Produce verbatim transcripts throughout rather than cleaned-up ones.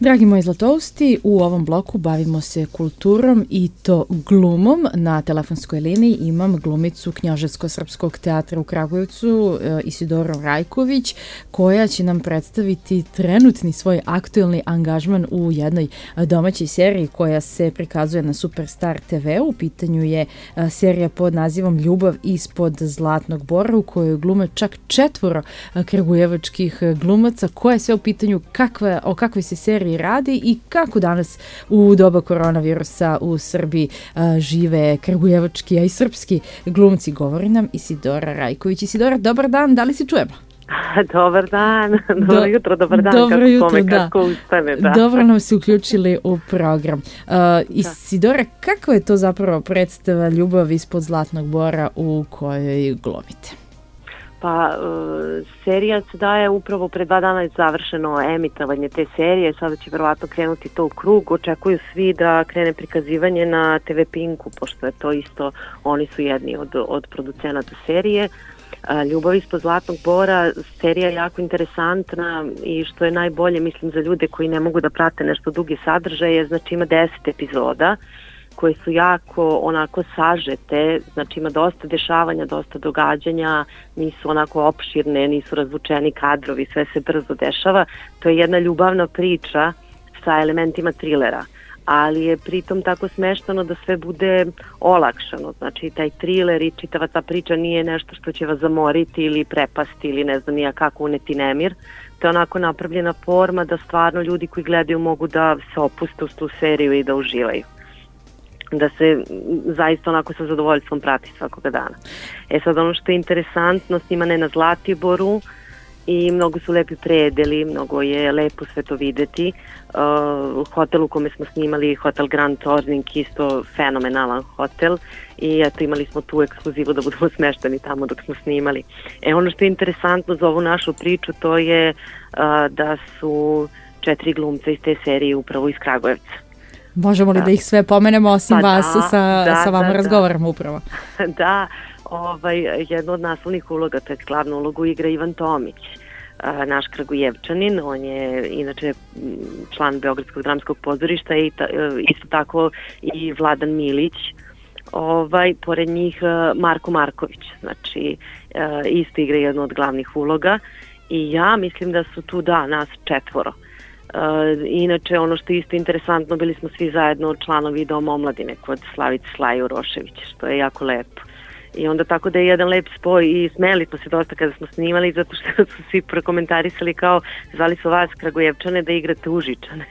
Dragi moji zlatousti, u ovom bloku bavimo se kulturom i to glumom. Na telefonskoj liniji imam glumicu Knjaževsko-srpskog teatra u Kragujevcu, Isidoru Rajković, koja će nam predstaviti trenutni svoj aktuelni angažman u jednoj domaćoj seriji koja se prikazuje na Superstar te ve. U pitanju je serija pod nazivom Ljubav ispod Zlatnog bora, u kojoj glume čak četvoro kragujevačkih glumaca. Koja je sve u pitanju, kakva, o kakvoj se seriji radi i kako danas u doba koronavirusa u Srbiji a, žive kragujevački, a i srpski glumci, govori nam Isidora Rajković. Isidora, dobar dan, da li se čujemo? Dobar dan, dobro Do, jutro, dobar dan, dobro kako jutro, kome, da. kako ustane. Da. Dobro nam se uključili u program. Uh, Isidora, kako je to zapravo predstava Ljubav ispod Zlatnog bora u kojoj glumite? Pa, uh, serija se daje upravo pre dva dana je završeno emitovanje te serije, sada će verovatno krenuti to u krug, očekuju svi da krene prikazivanje na te ve Pinku, pošto je to isto, oni su jedni od, od producenata serije. Uh, Ljubav ispod Zlatnog bora, serija je jako interesantna i što je najbolje, mislim, za ljude koji ne mogu da prate nešto duge sadržaje, znači ima deset epizoda koje su jako onako sažete, znači ima dosta dešavanja, dosta događanja, nisu onako opširne, nisu razvučeni kadrovi, sve se brzo dešava. To je jedna ljubavna priča sa elementima trilera, ali je pritom tako smeštano da sve bude olakšano. Znači taj triler i čitava ta priča nije nešto što će vas zamoriti ili prepasti ili ne znam nija kako uneti nemir. To je onako napravljena forma da stvarno ljudi koji gledaju mogu da se opuste u tu seriju i da uživaju, da se zaista onako sa zadovoljstvom prati svakoga dana. E sad, ono što je interesantno, snimane na Zlatiboru i mnogo su lepi predeli, mnogo je lepo sve to videti. Uh, hotel u kome smo snimali, hotel Grand Torning, isto fenomenalan hotel i eto imali smo tu ekskluzivu da budemo smešteni tamo dok smo snimali. E ono što je interesantno za ovu našu priču, to je uh, da su četiri glumca iz te serije upravo iz Kragujevca. Možemo li da, da ih sve pomenemo osim pa vas, da, sa, da, sa vama da, razgovaramo upravo? Da, ovaj, jedna od naslovnih uloga, to je glavnu ulogu igra Ivan Tomić, naš Kragujevčanin, on je inače član Beogradskog dramskog pozorišta i ta, isto tako i Vladan Milić, ovaj, pored njih Marko Marković, znači isto igra jednu od glavnih uloga i ja mislim da su tu, da, nas četvoro. Uh, inače, ono što je isto interesantno, bili smo svi zajedno članovi Doma omladine kod Slavice Slaju Rošević, što je jako lepo. I onda tako da je jedan lep spoj i smeli smo se dosta kada smo snimali, zato što su svi prokomentarisali kao zvali su vas Kragujevčane da igrate Užičane.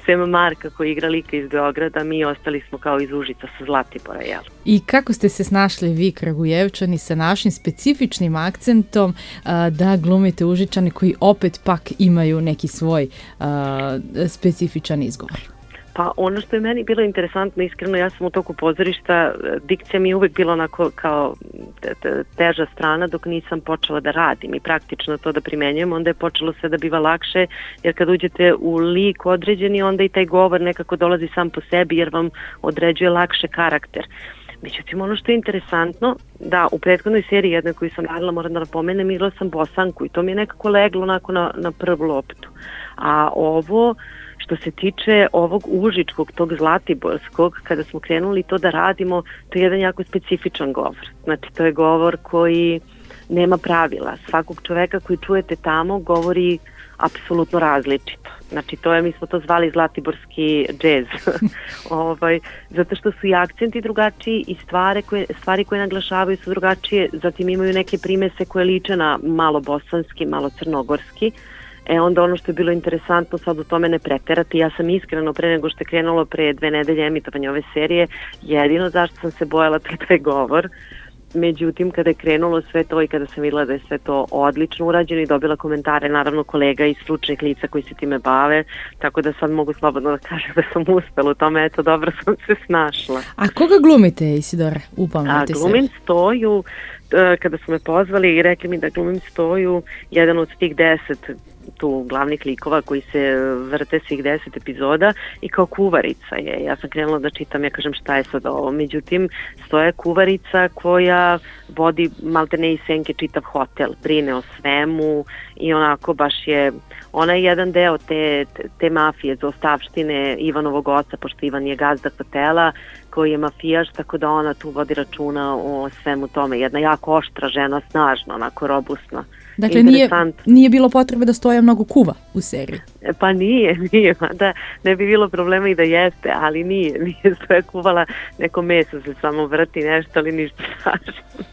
Sem Marka koji igra lika iz Beograda, mi ostali smo kao iz Užica sa Zlatibora, jel? I kako ste se snašli vi Kragujevčani sa našim specifičnim akcentom a, da glumite Užičani koji opet pak imaju neki svoj a, specifičan izgovor? Pa ono što je meni bilo interesantno, iskreno, ja sam u toku pozorišta, dikcija mi je uvek bila onako kao teža strana dok nisam počela da radim i praktično to da primenjujem, onda je počelo sve da biva lakše, jer kad uđete u lik određeni, onda i taj govor nekako dolazi sam po sebi jer vam određuje lakše karakter. Međutim, ono što je interesantno, da u prethodnoj seriji jednoj koju sam radila, moram da napomenem, igrala sam Bosanku i to mi je nekako leglo onako na, na prvu loptu. A ovo, što se tiče ovog užičkog, tog zlatiborskog, kada smo krenuli to da radimo, to je jedan jako specifičan govor. Znači, to je govor koji nema pravila. Svakog čoveka koji čujete tamo govori apsolutno različito. Znači, to je, mi smo to zvali zlatiborski džez. ovaj, zato što su i akcenti drugačiji i stvari koje, stvari koje naglašavaju su drugačije, zatim imaju neke primese koje liče na malo bosanski, malo crnogorski. E onda ono što je bilo interesantno sad u tome ne preterati, ja sam iskreno pre nego što je krenulo pre dve nedelje emitovanje ove serije, jedino zašto sam se bojala to je taj govor. Međutim, kada je krenulo sve to i kada sam videla da je sve to odlično urađeno i dobila komentare, naravno, kolega i stručnih lica koji se time bave, tako da sad mogu slobodno da kažem da sam uspela u tome, eto, dobro sam se snašla. A koga glumite, Isidora? Upamljate se. Glumim Stoju, kada su me pozvali i rekli mi da glumim Stoju, jedan od tih deset tu glavnih likova koji se vrte svih deset epizoda i kao kuvarica je. Ja sam krenula da čitam, ja kažem šta je sad ovo. Međutim, stoje kuvarica koja vodi maltene iz senke čitav hotel, brine o svemu i onako baš je, ona je jedan deo te, te mafije, zaostavštine Ivanovog oca, pošto Ivan je gazda hotela, koji je mafijaš, tako da ona tu vodi računa o svemu tome. Jedna jako oštra žena, snažna, onako robustna. Dakle, nije, nije bilo potrebe da stoje mnogo kuva u seriji. Pa nije, nije, da ne bi bilo problema i da jeste, ali nije, nije stoje kuvala, neko meso se samo vrti nešto, ali ništa strašno.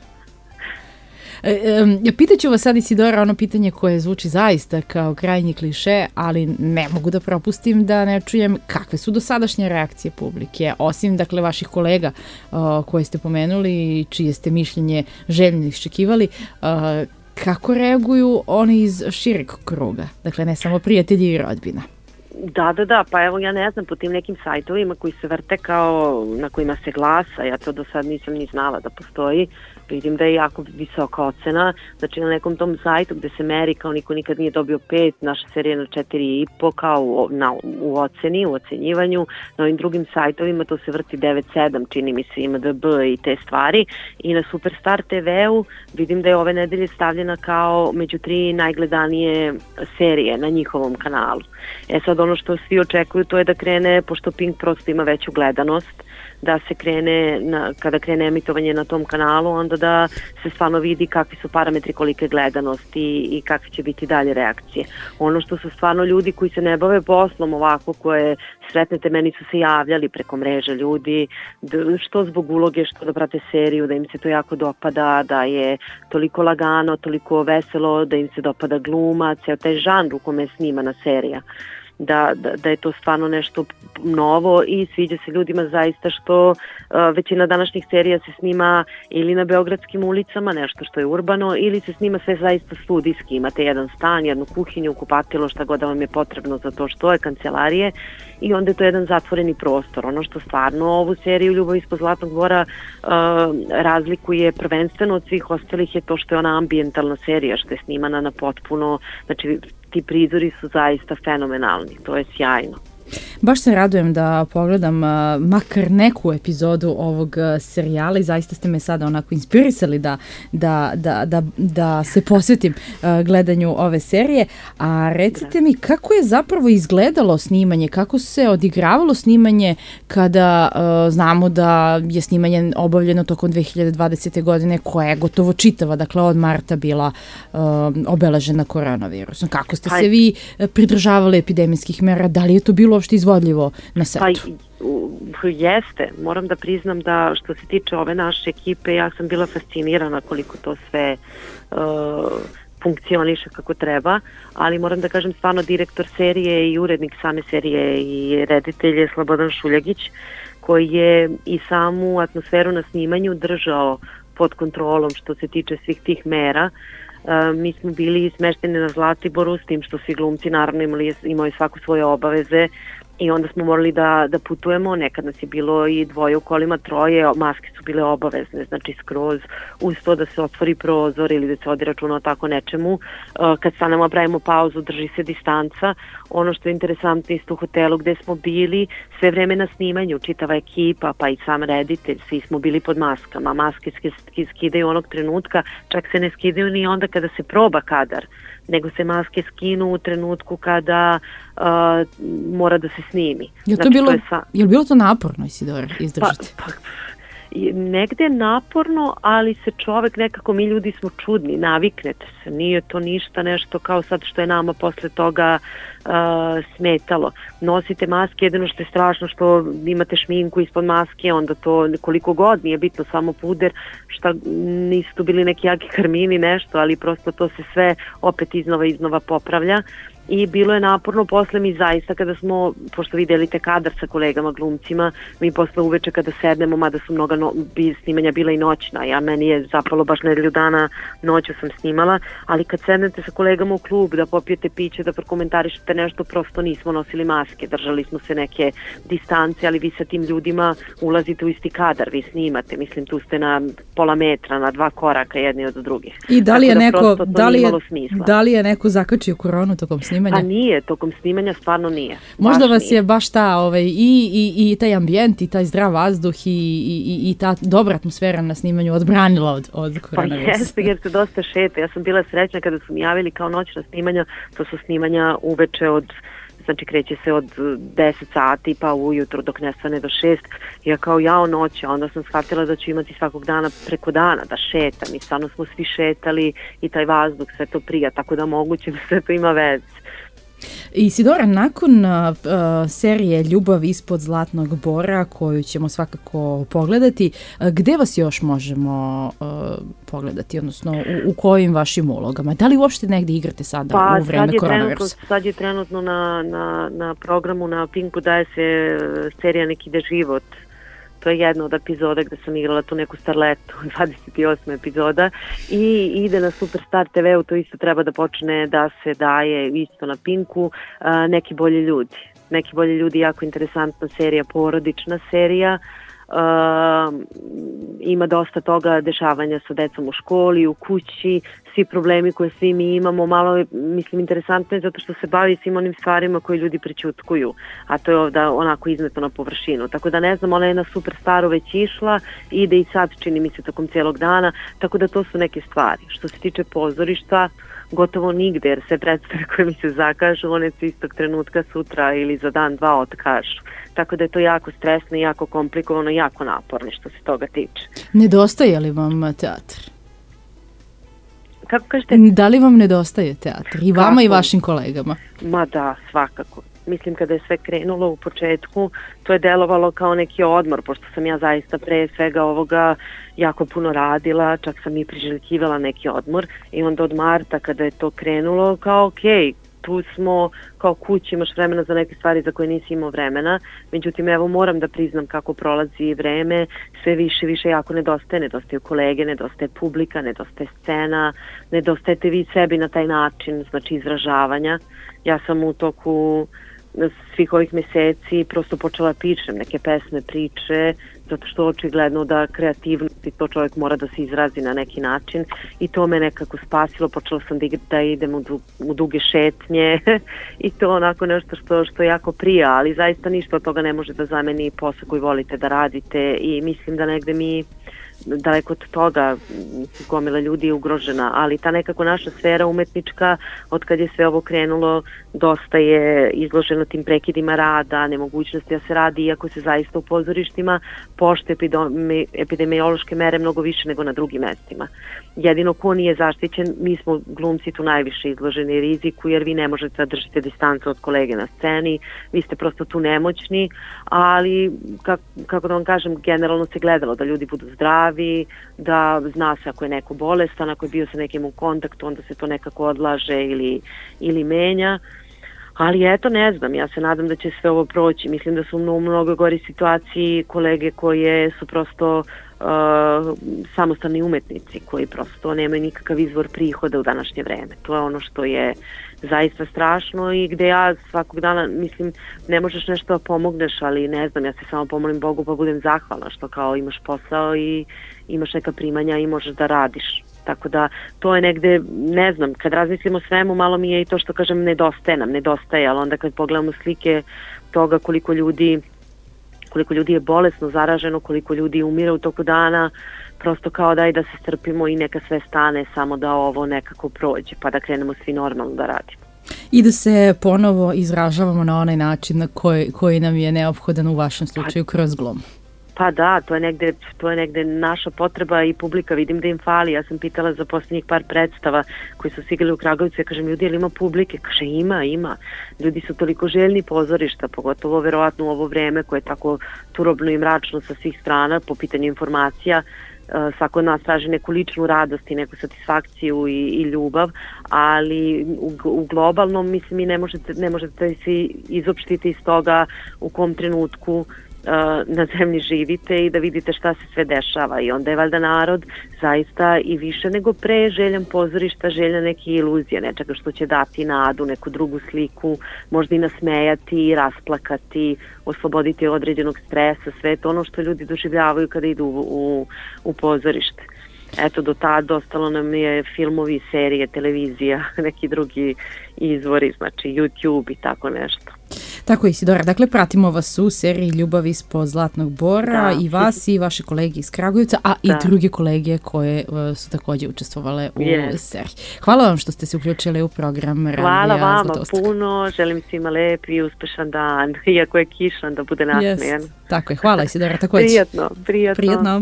E, pitaću vas sad, Isidora, ono pitanje koje zvuči zaista kao krajnji kliše, ali ne mogu da propustim da ne čujem kakve su dosadašnje reakcije publike, osim dakle vaših kolega uh, koje ste pomenuli i čije ste mišljenje željno iščekivali, uh, kako reaguju oni iz šireg kruga, dakle ne samo prijatelji i rodbina? Da, da, da, pa evo ja ne znam, po tim nekim sajtovima koji se vrte kao na kojima se glasa, ja to do sad nisam ni znala da postoji, vidim da je jako visoka ocena, znači na nekom tom sajtu gde se meri kao niko nikad nije dobio pet, naša serija na četiri i po kao u, na, u oceni, u ocenjivanju, na ovim drugim sajtovima to se vrti devet sedam, čini mi se I M D B i te stvari, i na Superstar te veu vidim da je ove nedelje stavljena kao među tri najgledanije serije na njihovom kanalu. E sad ono što svi očekuju to je da krene, pošto Pink prosto ima veću gledanost, da se krene, na, kada krene emitovanje na tom kanalu, onda da se stvarno vidi kakvi su parametri, kolike gledanosti i, i kakve će biti dalje reakcije. Ono što su stvarno ljudi koji se ne bave poslom ovako, koje sretnete, meni su se javljali preko mreže ljudi, da, što zbog uloge, što da prate seriju, da im se to jako dopada, da je toliko lagano, toliko veselo, da im se dopada gluma, ceo taj žanr u kome je snimana serija. Da, da, da je to stvarno nešto novo i sviđa se ljudima zaista što uh, većina današnjih serija se snima ili na beogradskim ulicama, nešto što je urbano, ili se snima sve zaista studijski. Imate jedan stan, jednu kuhinju, kupatilo, šta god da vam je potrebno za to što je, kancelarije, i onda je to jedan zatvoreni prostor. Ono što stvarno ovu seriju Ljubav ispod zlatnog dvora uh, razlikuje prvenstveno od svih ostalih je to što je ona ambijentalna serija, što je snimana na potpuno, znači ti prizori su zaista fenomenalni, to je sjajno. Baš se radujem da pogledam uh, makar neku epizodu ovog uh, serijala i zaista ste me sada onako inspirisali da, da, da, da, da se posvetim uh, gledanju ove serije. A recite mi kako je zapravo izgledalo snimanje, kako se odigravalo snimanje kada uh, znamo da je snimanje obavljeno tokom dve hiljade dvadesete. godine koja je gotovo čitava, dakle od marta bila uh, obeležena koronavirusom. Kako ste se vi pridržavali epidemijskih mera? Da li je to bilo uopšte izvodljivo na setu? Pa, jeste, moram da priznam da što se tiče ove naše ekipe, ja sam bila fascinirana koliko to sve uh, funkcioniše kako treba, ali moram da kažem stvarno direktor serije i urednik same serije i reditelj je Slobodan Šuljagić, koji je i samu atmosferu na snimanju držao pod kontrolom što se tiče svih tih mera. Uh, mi smo bili smešteni na Zlatiboru, s tim što svi glumci naravno imali, imali svaku svoje obaveze i onda smo morali da, da putujemo, nekad nas je bilo i dvoje u kolima, troje, maske su bile obavezne, znači skroz uz to da se otvori prozor ili da se vodi računa o tako nečemu. Uh, kad stanemo, pravimo pauzu, drži se distanca. Ono što je interesantno isto u hotelu gde smo bili, sve vreme na snimanju, čitava ekipa, pa i sam reditelj, svi smo bili pod maskama. Maske skidaju onog trenutka, čak se ne skidaju ni onda kada se proba kadar, nego se maske skinu u trenutku kada uh, mora da se snimi. Je, to znači, bilo, to je, sa... je li bilo to naporno, Isidora, izdržati? Pa, pa, negde naporno, ali se čovek nekako, mi ljudi smo čudni, naviknete se, nije to ništa nešto kao sad što je nama posle toga uh, smetalo. Nosite maske, jedino što je strašno što imate šminku ispod maske, onda to koliko god nije bitno, samo puder, šta nisu tu bili neki jaki karmini, nešto, ali prosto to se sve opet iznova iznova popravlja. i bilo je naporno posle. Mi zaista kada smo, pošto vi delite kadar sa kolegama glumcima, mi posle uveče kada sednemo, mada su mnoga no, bi, snimanja bila i noćna, ja meni je zapalo baš nedelju dana, noću sam snimala, ali kad sednete sa kolegama u klub da popijete piće, da prokomentarišete nešto, prosto nismo nosili maske, držali smo se neke distance, ali vi sa tim ljudima ulazite u isti kadar, vi snimate, mislim tu ste na pola metra, na dva koraka jedni od drugih. I da li je da neko, da li je, smisla. da li je neko zakačio koronu tokom snimanja? Pa nije, tokom snimanja stvarno nije. Možda baš vas nije. je baš ta, ovaj, i, i, i taj ambijent, i taj zdrav vazduh i, i, i ta dobra atmosfera na snimanju odbranila od, od koronavirusa. Pa jeste, jer se dosta šeta. Ja sam bila srećna kada su mi javili kao noćna snimanja, to su snimanja uveče od, znači kreće se od deset sati pa ujutro dok ne stane do šest. Ja kao jao noć, a onda sam shvatila da ću imati svakog dana preko dana da šetam i stvarno smo svi šetali i taj vazduh, sve to prija, tako da moguće da sve to ima veze. Isidora, nakon uh, serije Ljubav ispod zlatnog bora, koju ćemo svakako pogledati, uh, gde vas još možemo uh, pogledati, odnosno u, u kojim vašim ulogama? Da li uopšte negde igrate sada pa, u vreme koronavirusa? Pa sad je trenutno na, na, na programu na Pinku daje se serija Nek ide život. To je jedna od epizoda gde sam igrala tu neku starletu, dvadeset osma epizoda, i ide na Superstar te ve u, to isto treba da počne da se daje isto na Pinku, a, Neki bolji ljudi. Neki bolji ljudi, jako interesantna serija, porodična serija, a, ima dosta toga dešavanja sa decom u školi, u kući, svi problemi koje svi mi imamo, malo je, mislim, interesantno je zato što se bavi svim onim stvarima koje ljudi prećutkuju, a to je ovdje onako izneto na površinu. Tako da ne znam, ona je na Superstaru već išla, ide i sad čini mi se tokom cijelog dana, tako da to su neke stvari. Što se tiče pozorišta, gotovo nigde, jer sve predstave koje mi se zakažu, one se istog trenutka sutra ili za dan, dva otkažu. Tako da je to jako stresno, jako komplikovano, jako naporno što se toga tiče. Nedostaje li vam teatr? Kako kažete? Da li vam nedostaje teatr? I vama Kako? I vašim kolegama? Ma da, svakako. Mislim kada je sve krenulo u početku, to je delovalo kao neki odmor, pošto sam ja zaista pre svega ovoga jako puno radila, čak sam i priželjkivala neki odmor i onda od marta kada je to krenulo kao okej, okay, tu smo kao kući, imaš vremena za neke stvari za koje nisi imao vremena, međutim evo moram da priznam kako prolazi vreme, sve više više jako nedostaje, nedostaju kolege, nedostaje publika, nedostaje scena, nedostajete vi sebi na taj način, znači izražavanja. Ja sam u toku svih ovih meseci prosto počela pišem neke pesme, priče, zato što očigledno da kreativnost i to čovjek mora da se izrazi na neki način i to me nekako spasilo, počela sam da, da idem u, du, u duge šetnje i to onako nešto što, što jako prija, ali zaista ništa od toga ne može da zameni posao koji volite da radite i mislim da negde mi daleko od toga gomila ljudi je ugrožena, ali ta nekako naša sfera umetnička, od kad je sve ovo krenulo, dosta je izloženo tim prekidima rada, nemogućnosti da se radi, iako se zaista u pozorištima pošte epidemiološke mere mnogo više nego na drugim mestima. Jedino ko nije zaštićen, mi smo glumci tu najviše izloženi riziku, jer vi ne možete da držite distancu od kolege na sceni, vi ste prosto tu nemoćni, ali kako, kako da vam kažem, generalno se gledalo da ljudi budu zdravi, da zna se ako je neko bolestan, ako je bio sa nekim u kontaktu, onda se to nekako odlaže ili, ili menja. Ali eto, ne znam, ja se nadam da će sve ovo proći. Mislim da su u mnogo gori situaciji kolege koje su prosto uh, samostalni umetnici, koji prosto nemaju nikakav izvor prihoda u današnje vreme. To je ono što je zaista strašno i gde ja svakog dana, mislim, ne možeš nešto da pomogneš, ali ne znam, ja se samo pomolim Bogu pa budem zahvalna što kao imaš posao i imaš neka primanja i možeš da radiš. Tako da to je negde, ne znam, kad razmislimo o svemu, malo mi je i to što kažem nedostaje nam, nedostaje, ali onda kad pogledamo slike toga koliko ljudi, koliko ljudi je bolesno zaraženo, koliko ljudi umire u toku dana, prosto kao daj da se strpimo i neka sve stane, samo da ovo nekako prođe, pa da krenemo svi normalno da radimo. I da se ponovo izražavamo na onaj način na koji, koji nam je neophodan u vašem slučaju kroz glum. Pa da, to je negde, to je negde naša potreba i publika, vidim da im fali. Ja sam pitala za posljednjih par predstava koji su stigali u Kragujevcu, ja kažem, ljudi, ili ima publike? Kaže, ima, ima. Ljudi su toliko željni pozorišta, pogotovo verovatno u ovo vreme koje je tako turobno i mračno sa svih strana po pitanju informacija, svako od nas traži neku ličnu radost i neku satisfakciju i, i ljubav, ali u, u globalnom, mislim, i ne možete, ne možete se izopštiti iz toga u kom trenutku na zemlji živite i da vidite šta se sve dešava, i onda je valjda narod zaista i više nego pre željan pozorišta, željan neke iluzije, nečega što će dati nadu, neku drugu sliku, možda i nasmejati, rasplakati, osloboditi određenog stresa, sve to ono što ljudi doživljavaju kada idu u, u, u pozorište. Eto, do tad ostalo nam je filmovi, serije, televizija, neki drugi izvori, znači YouTube i tako nešto. Tako je, Isidora. Dakle, pratimo vas u seriji Ljubav ispod Zlatnog Bora, da. I vas i vaše kolege iz Kragujevca, a da. I druge kolege koje uh, su također učestvovale u yes. seriji. Hvala vam što ste se uključili u program Radija Hvala vama Zlatoustak. Puno, želim svima lep i uspešan dan, iako je kišan, da bude nasmejan. Yes. Tako je, hvala Isidora također. Prijatno, prijatno. Prijatno.